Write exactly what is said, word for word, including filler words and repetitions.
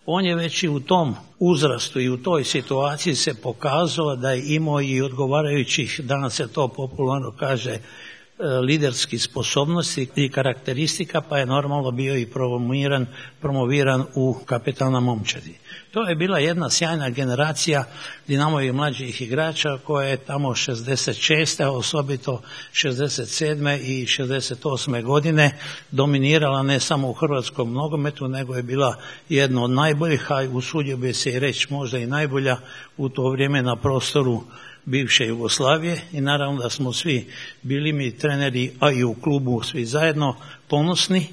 On je već i u tom uzrastu i u toj situaciji se pokazao da je imao i odgovarajućih, danas se to popularno kaže, liderskih sposobnosti i karakteristika, pa je normalno bio i promoviran, promoviran u kapetana momčadi. To je bila jedna sjajna generacija Dinamovih mlađih igrača koja je tamo šezdeset šeste, a osobito šezdeset sedme i šezdeset osme godine dominirala ne samo u hrvatskom nogometu, nego je bila jedna od najboljih, a usudio bi se i reći možda i najbolja u to vrijeme na prostoru bivše Jugoslavije, i naravno da smo svi bili mi treneri, a i u klubu svi zajedno ponosni